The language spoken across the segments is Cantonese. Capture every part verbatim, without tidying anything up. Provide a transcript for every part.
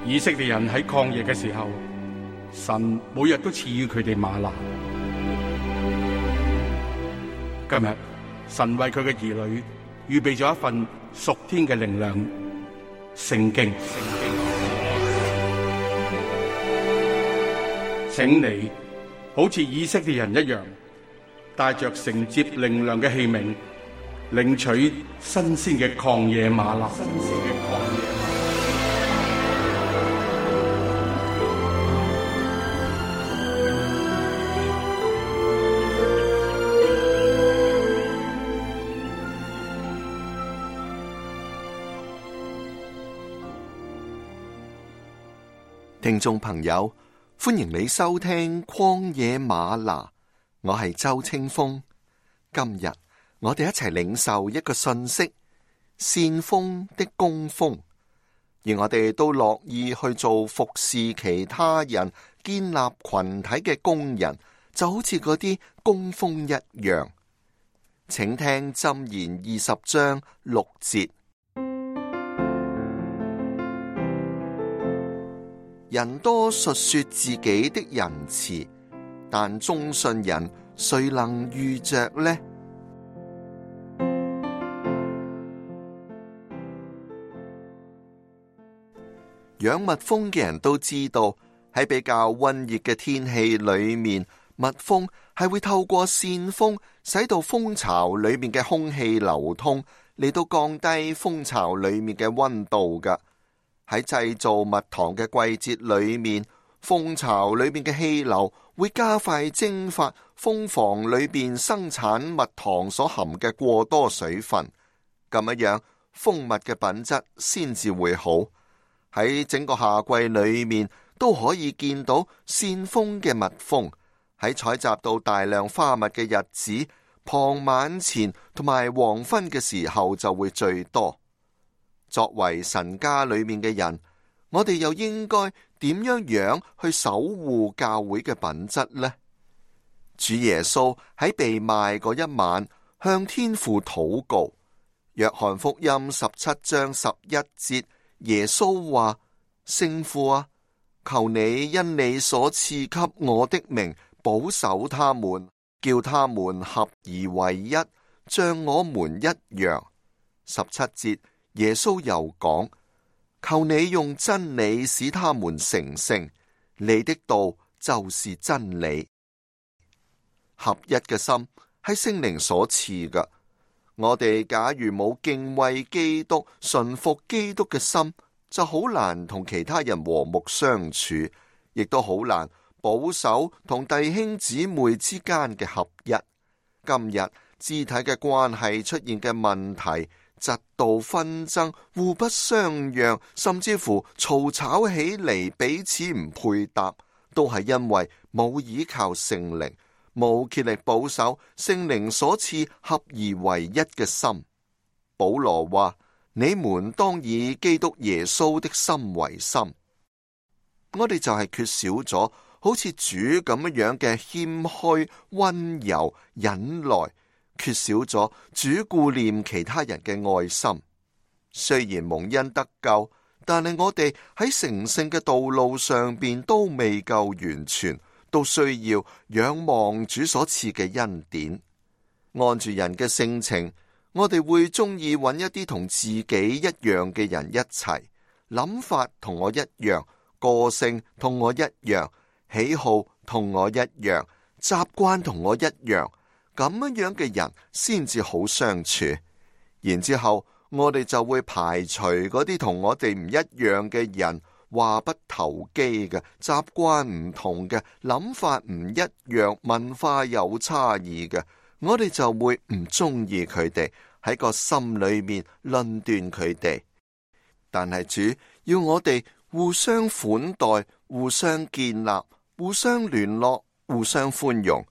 以色列人喺曠野嘅時候，神每日都賜予佢哋嗎哪。今日神為佢嘅兒女預備咗一份屬天嘅靈糧——聖經。請你好似以色列人一樣，帶着承接靈糧嘅器皿，領取新鮮嘅曠野嗎哪。聽眾朋友，歡迎你收聽曠野嗎哪，我係周清風。今日我哋一齊領受一個信息：善風的工蜂。而我哋都樂意去做服侍其他人、建立群體嘅工人，就好似嗰啲工蜂一樣。請聽箴言二十章六節。人多述說自己的仁慈，但忠信人誰能遇着呢？養蜜蜂嘅人都知道，喺比較溫熱嘅天氣裏面，蜜蜂係會透過扇風，使到蜂巢裏面嘅空氣流通，嚟到降低蜂巢裏面嘅溫度㗎。喺製造蜜糖嘅季節裏面，蜂巢裏面嘅氣流會加快蒸發蜂房裏面生產蜜糖所含嘅過多水分，咁樣蜂蜜嘅品質先至會好。喺整個夏季裏面都可以見到扇風嘅蜜蜂，喺採集到大量花蜜嘅日子，傍晚前同埋黃昏嘅時候就會最多。作為神家裏面嘅人，我哋又應該點樣樣去守護教會嘅品質呢？主耶穌喺被賣嗰一晚向天父禱告。約翰福音十七章十一節，耶穌話：聖父啊，求你因你所賜給我的名保守他們，叫他們合而為一，像我們一樣。十七節。耶穌又講：求你用真理使他們成聖，你的道就是真理。合一嘅心係聖靈所賜嘅。我哋假如冇敬畏基督、順服基督嘅心，就好難同其他人和睦相處，亦都好難保守同弟兄姊妹之間嘅合一。今日肢體嘅關係出現嘅問題，嫉妒紛爭、互不相讓，甚至乎嘈吵起嚟，彼此唔配搭，都係因為冇依靠聖靈，冇竭力保守聖靈所賜合而為一嘅心。保羅話：你們當以基督耶穌的心為心。我哋就係缺少咗好似主咁樣嘅謙虛、溫柔、忍耐，缺少咗主顧念其他人嘅愛心。雖然蒙恩得救，但係我哋喺成聖嘅道路上邊都未夠完全，都需要仰望主所賜嘅恩典。按住人嘅性情，我哋會中意揾一啲同自己一樣嘅人一齊，諗法同我一樣，個性同我一樣，喜好同我一樣，習慣同我一樣。咁樣嘅人先至好相處，然之後我哋就會排除嗰啲同我哋唔一樣嘅人，話不投機嘅，習慣唔同嘅，諗法唔一樣，文化有差異嘅，我哋就會唔中意佢哋，喺個心裏面論斷佢哋。但係主要我哋互相款待，互相建立，互相聯絡，互相寬容。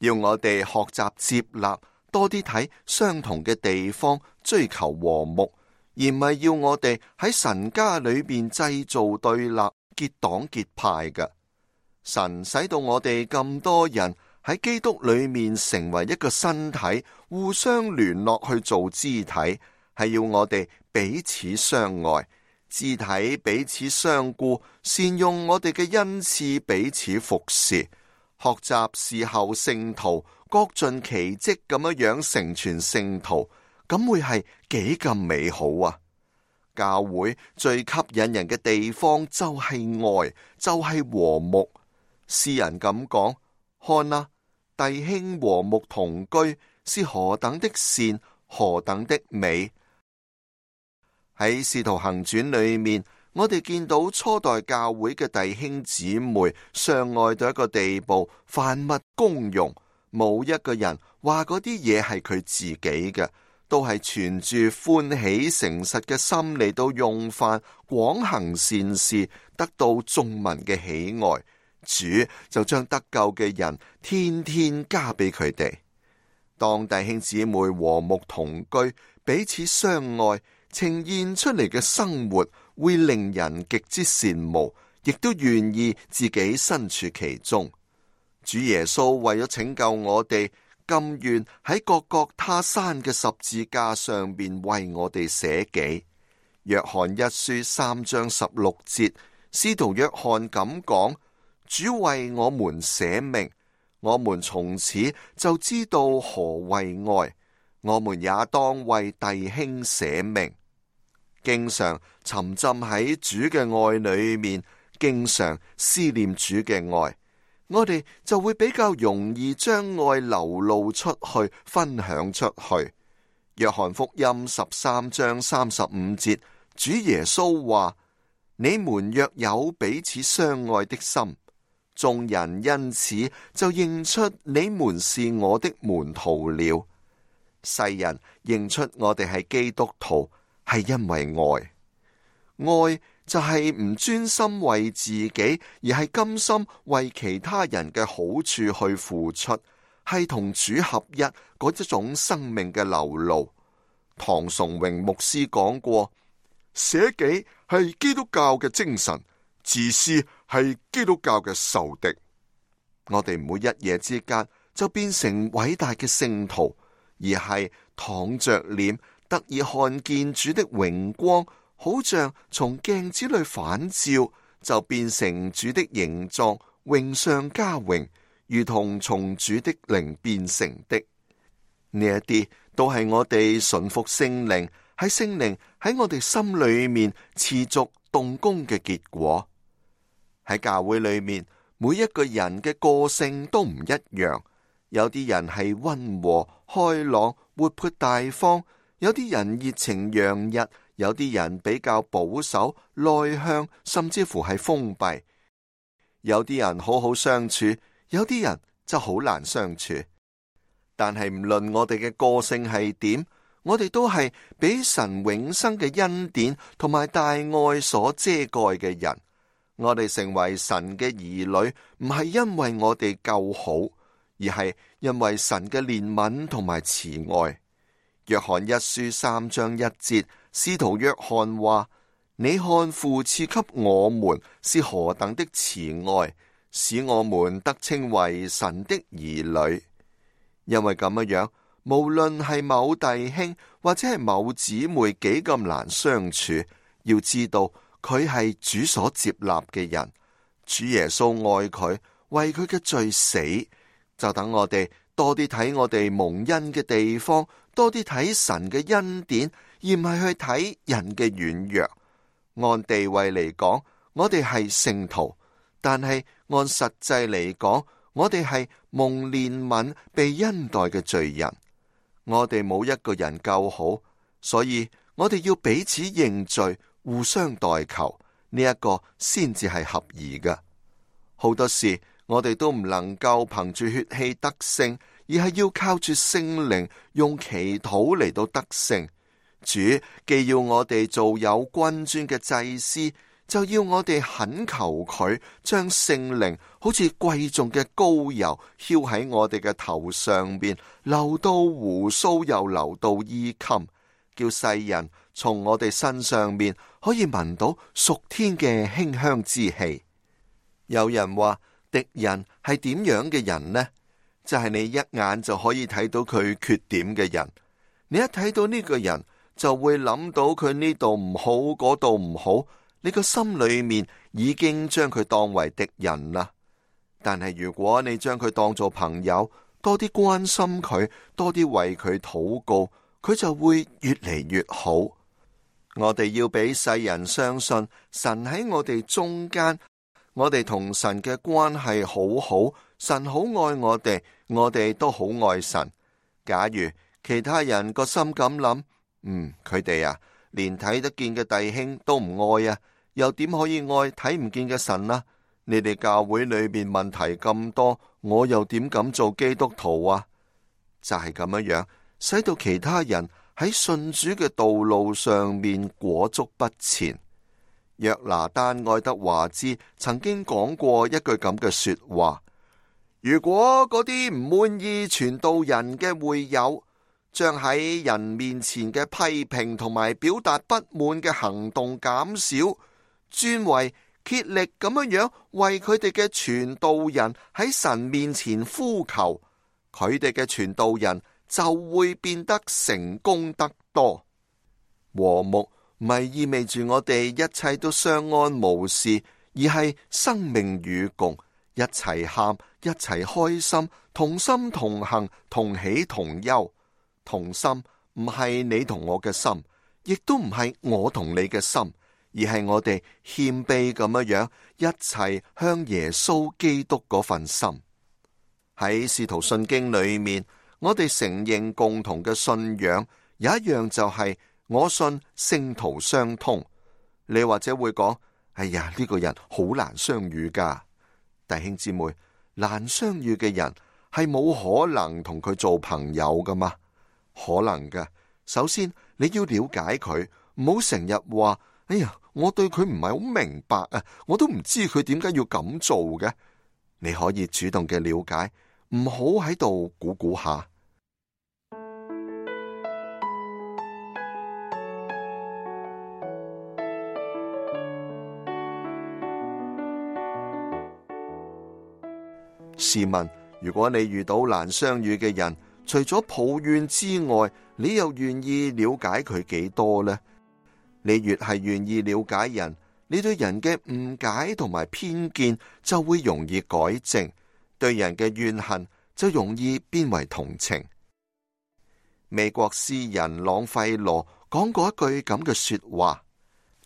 要我哋學習接納，多啲睇相同嘅地方，追求和睦，而唔係要我哋喺神家裏邊製造對立、結黨結派嘅。神使到我哋咁多人喺基督裏面成為一個身體，互相聯絡去做肢體，係要我哋彼此相愛，肢體彼此相顧，善用我哋嘅恩賜彼此服侍，學習侍候聖徒，各盡其職咁樣樣成全聖徒，咁會係幾咁美好啊！教會最吸引人嘅地方就係愛，就係和睦。詩人咁講：看啊，弟兄和睦同居，是何等的善，何等的美！喺《使徒行傳》裏面，我哋見到初代教會嘅弟兄姊妹相愛到一個地步，凡物公用，冇一個人話嗰啲嘢係佢自己嘅，都係存住歡喜誠實嘅心嚟到用飯，廣行善事，得到眾民嘅喜愛。主就將得救嘅人天天加俾佢哋。當弟兄姊妹和睦同居，彼此相愛，呈現出嚟嘅生活會令人極之羨慕，亦都願意自己身處其中。主耶穌為咗拯救我哋，甘願喺各各他山嘅十字架上邊為我哋捨己。約翰一書三章十六節，使徒約翰咁講：主為我們捨命，我們從此就知道何為愛，我們也當為弟兄捨命。經常沉浸喺主嘅愛裏面，經常思念主嘅愛，我哋就會比較容易將愛流露出去，分享出去。約翰福音十三章三十五節，主耶穌話：你們若有彼此相愛的心，眾人因此就認出你們是我的門徒了。世人認出我哋係基督徒，係因為愛。愛就係唔專心為自己，而係甘心為其他人嘅好處去付出，係同主合一嗰一種生命嘅流露。唐崇榮牧師講過：捨己係基督教嘅精神，自私係基督教嘅仇敵。我哋唔會一夜之間就變成偉大嘅聖徒，而係躺着臉得以看見主的榮光，好像從鏡子裏反照，就變成主的形狀，榮上加榮，如同從主的靈變成的。呢一啲都係我哋順服聖靈，喺聖靈喺我哋心裏面持續動工嘅結果。喺教會裏面，每一個人嘅個性都唔一樣，有啲人係溫和開朗、活潑大方，有啲人熱情洋溢，有啲人比較保守內向，甚至乎係封閉。有啲人好好相處，有啲人就好難相處。但係唔論我哋嘅個性係點，我哋都係俾神永生嘅恩典同埋大愛所遮蓋嘅人。我哋成為神嘅兒女，唔係因為我哋夠好，而係因為神嘅憐憫同埋慈愛。約翰一書三章一節，使徒約翰話：你看父賜給我們是何等的慈愛，使我們得稱為神的兒女。因為咁樣，無論係某弟兄或者係某姊妹幾咁難相處，要知道佢係主所接納嘅人，主耶穌愛佢，為佢嘅罪死，就等我哋多啲睇我哋蒙恩嘅地方，多啲睇神嘅恩典，而唔係去睇人嘅軟弱。按地位嚟講，我哋係聖徒，但係按實際嚟講，我哋係蒙憐憫、被恩待嘅罪人。我哋冇一個人夠好，所以我哋要彼此認罪，互相代求，呢、這、一個先至係合宜嘅。好多時我哋都唔能夠憑住血氣得勝，而係要靠住聖靈用祈禱嚟到得勝。主既要我哋做有君尊嘅祭司，就要我哋懇求佢將聖靈好似貴重嘅膏油澆喺我哋嘅頭上邊，流到鬍鬚又流到衣襟，叫世人從我哋身上面可以聞到屬天嘅馨香之氣。有人話敵人係點樣嘅人呢？就係、是、你一眼就可以睇到佢缺點嘅人。你一睇到呢個人，就會諗到佢呢度唔好，嗰度唔好，你個心裏面已經將佢當為敵人啦。但係如果你將佢當做朋友，多啲關心佢，多啲為佢禱告，佢就會越嚟越好。我哋要俾世人相信神喺我哋中間，我哋同神嘅關係好好，神好愛我哋，我哋都好愛神。假如其他人個心咁諗，嗯，佢哋啊，連睇得見嘅弟兄都唔愛啊，又點可以愛睇唔見嘅神啊？你哋教會裏邊問題咁多，我又點敢做基督徒啊？就係咁樣樣，使到其他人喺信主嘅道路上面裹足不前。約拿單愛德華茲曾經講過一句咁嘅說話：如果嗰啲唔滿意傳道人嘅會友，將喺人面前嘅批評同埋表達不滿嘅行動減少，專為竭力咁樣樣為佢哋嘅傳道人喺神面前呼求，佢哋嘅傳道人就會變得成功得多。和睦唔係意味住我哋一切都相安無事，而係生命與共，一齊喊，一齊開心，同心同行，同喜同憂。同心唔係你同我嘅心，亦都唔係我同你嘅心，而係我哋謙卑咁樣樣一齊向耶穌基督嗰份心。喺使徒信經裏面，我哋承認共同嘅信仰，有一樣就係我信聖徒相通。你或者會講：哎呀，呢個人好難相遇噶。弟兄姊妹，難相遇嘅人係冇可能同佢做朋友噶嘛？可能嘅。首先你要了解佢，唔好成日話：哎呀，我對佢唔係好明白啊，我都唔知佢點解要咁做嘅。你可以主動嘅了解，唔好喺度估估下。試問，如果你遇到難相遇嘅人，除咗抱怨之外，你又願意了解佢幾多呢？你越係願意了解人，你對人嘅誤解同埋偏見就會容易改正，對人嘅怨恨就容易變為同情。美國詩人朗費羅講過一句咁嘅說話：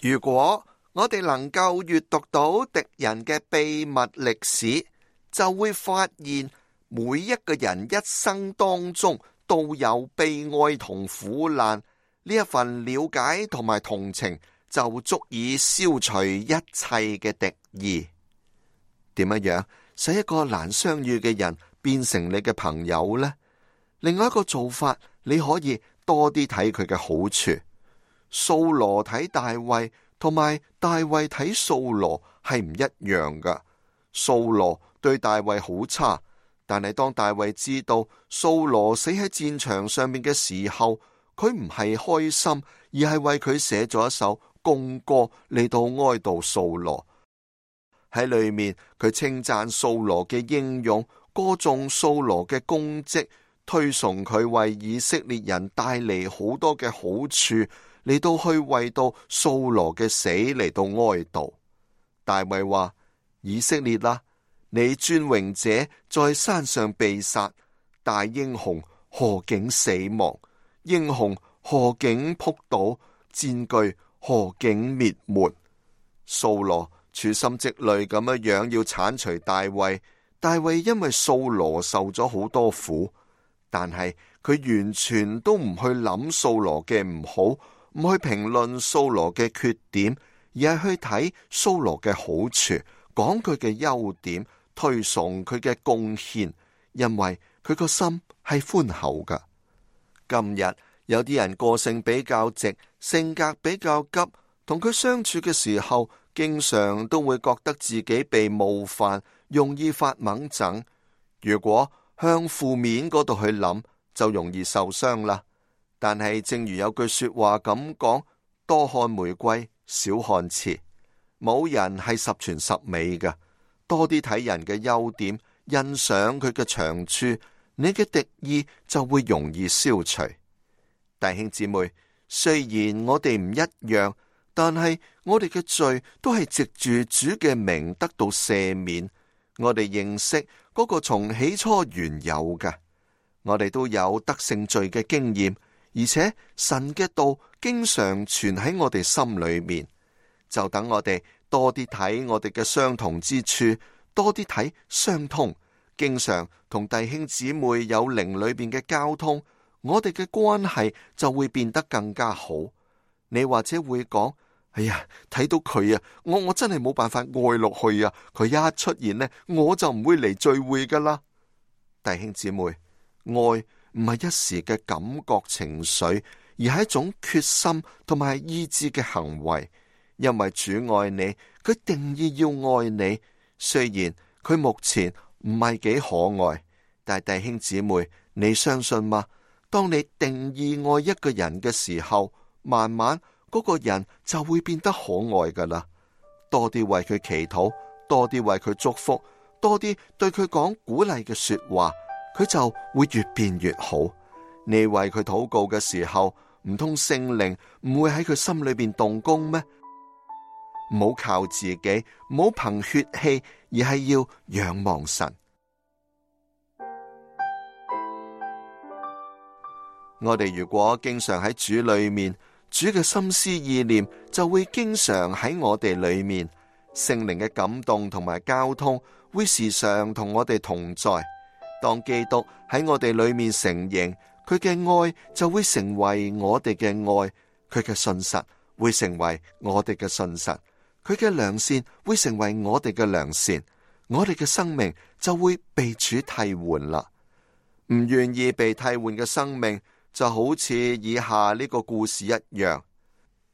如果我哋能夠閱讀到敵人嘅秘密歷史，就會發現每一個人一生當中都有悲哀同苦難，呢一份了解同埋同情就足以消除一切嘅敵意。點樣樣使一個難相遇嘅人變成你嘅朋友呢？另外一個做法，你可以多啲睇佢嘅好處。掃羅睇大衛同埋大衛睇掃羅係唔一樣噶。掃羅對大衛好差，但係當大衛知道掃羅死喺戰場上面嘅時候，佢唔係開心，而係為佢寫咗一首貢歌嚟到哀悼掃羅。喺裏面佢稱讚掃羅嘅英勇，歌頌掃羅嘅功績，推崇佢為以色列人帶嚟好多嘅好處，嚟到去為到掃羅嘅死嚟到哀悼。大衛話：以色列啦，你尊榮者在山上被殺，大英雄何竟死亡？英雄何竟仆倒？戰具何竟滅沒？掃羅處心積慮咁樣樣要鏟除大衛，大衛因為掃羅受咗好多苦，但係佢完全都唔去諗掃羅嘅唔好，唔去評論掃羅嘅缺點，而係去睇掃羅嘅好處，講佢嘅優點，推崇佢嘅貢獻，因為佢個心係寬厚噶。今日有啲人個性比較直，性格比較急，同佢相處嘅時候，經常都會覺得自己被冒犯，容易發猛憎。如果向負面嗰度去諗，就容易受傷啦。但係正如有句說話咁講：多看玫瑰，少看刺。冇人係十全十美嘅，多啲睇人嘅優點，欣賞佢嘅長處，你嘅敵意就會容易消除。弟兄姊妹，雖然我哋唔一樣，但係我哋嘅罪都係藉住主嘅名得到赦免。我哋認識嗰個從起初原有嘅，我哋都有得勝罪嘅經驗，而且神嘅道經常存喺我哋心裏面。就等我哋多啲睇我哋嘅相同之處，多啲睇相通，經常同弟兄姊妹有靈裏邊嘅交通，我哋嘅關係就會變得更加好。你或者會講：哎呀，睇到佢啊，我我真係冇辦法愛落去啊！佢一出現呢，我就唔會嚟聚會噶啦。弟兄姊妹，愛唔係一時嘅感覺情緒，而係一種決心同埋意志嘅行為。因為主愛你，佢定意要愛你。雖然佢目前唔係幾可愛，但係弟兄姊妹，你相信嗎？當你定意愛一個人嘅時候，慢慢嗰個人就會變得可愛噶啦。多啲為佢祈禱，多啲為佢祝福，多啲對佢講鼓勵嘅說話，佢就會越變越好。你為佢禱告嘅時候，唔通聖靈唔會喺佢心裏邊動工咩？唔好靠自己，唔好憑血氣，而係要仰望神。我哋如果經常喺主裏面，主嘅心思意念就會經常喺我哋裏面，聖靈嘅感動同埋交通會時常同我哋同在。當基督喺我哋裏面成形，佢嘅愛就會成為我哋嘅愛，佢嘅信實會成為我哋嘅信實，佢嘅良善會成為我哋嘅良善，我哋嘅生命就會被主替換啦。唔願意被替換嘅生命就好似以下呢個故事一樣，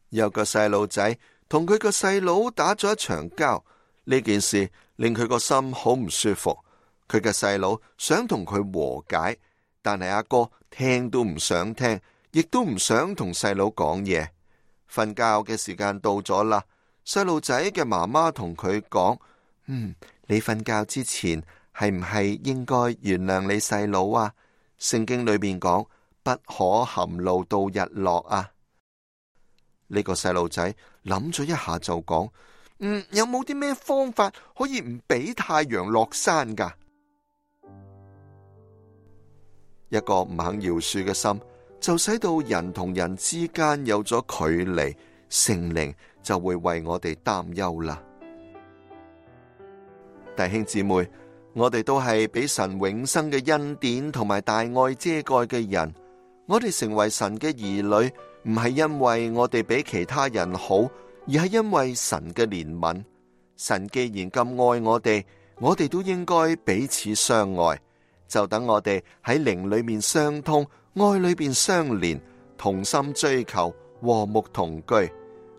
有個細路仔同佢個細佬打咗一場交，呢件事令佢個心好唔舒服。佢嘅細佬想同佢和解，但係阿哥聽都唔想聽，亦都唔想同細佬講嘢。瞓覺嘅時間到咗啦。細路仔嘅媽媽同佢講：嗯，你瞓覺之前係唔係應該原諒你細佬啊？聖經裏面講不可含怒到日落啊。呢個細路仔諗咗一下就講：嗯，有冇啲咩方法可以唔俾太陽落山噶？一個唔肯饒恕嘅心，就使到人同人之間有咗距離，聖靈就會為我哋擔憂啦。弟兄姊妹，我哋都係俾神永生嘅恩典同埋大愛遮蓋嘅人。我哋成為神嘅兒女，唔係因為我哋比其他人好，而係因為神嘅憐憫。神既然咁愛我哋，我哋都應該彼此相愛。就等我哋喺靈裏面相通，愛裏面相連，同心追求，和睦同居。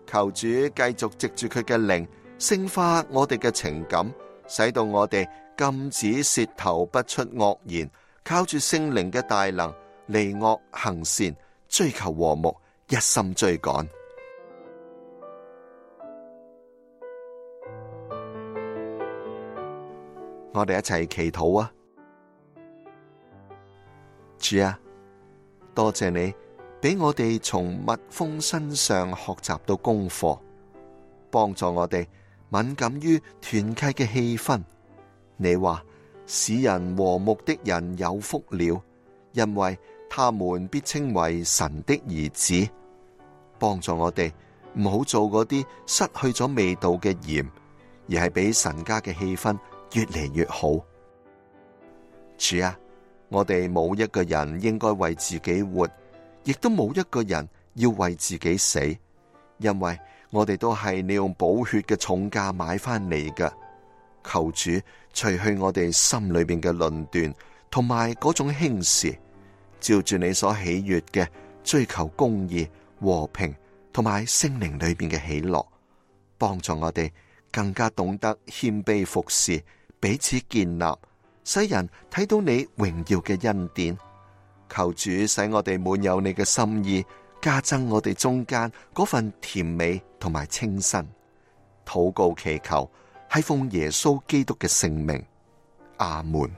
求主繼續藉住佢嘅靈聖化我哋嘅情感，使到我哋禁止舌頭不出惡言，靠住聖靈嘅大能，離惡行善，追求和睦，一心追趕。我哋一齊祈禱啊！主啊，多謝你俾我哋從蜜蜂身上學習到功課，幫助我哋敏感於團契嘅氣氛。你話使人和睦的人有福了，因為他們必稱為神的兒子。幫助我哋唔好做嗰啲失去咗味道嘅鹽，而係俾神家嘅氣氛越嚟越好。主啊，我哋冇一個人應該為自己活，亦都冇一個人要為自己死，因為我哋都係你用寶血嘅重價買翻嚟嘅。求主除去我哋心裏邊嘅論斷同埋嗰種輕視，照住你所喜悅嘅追求公義、和平同埋聖靈裏邊嘅喜樂，幫助我哋更加懂得謙卑服侍，彼此建立，使人睇到你榮耀嘅恩典。求主使我哋滿有你嘅心意，加增我哋中間嗰份甜美同埋清新。禱告祈求係奉耶穌基督嘅聖名，阿門。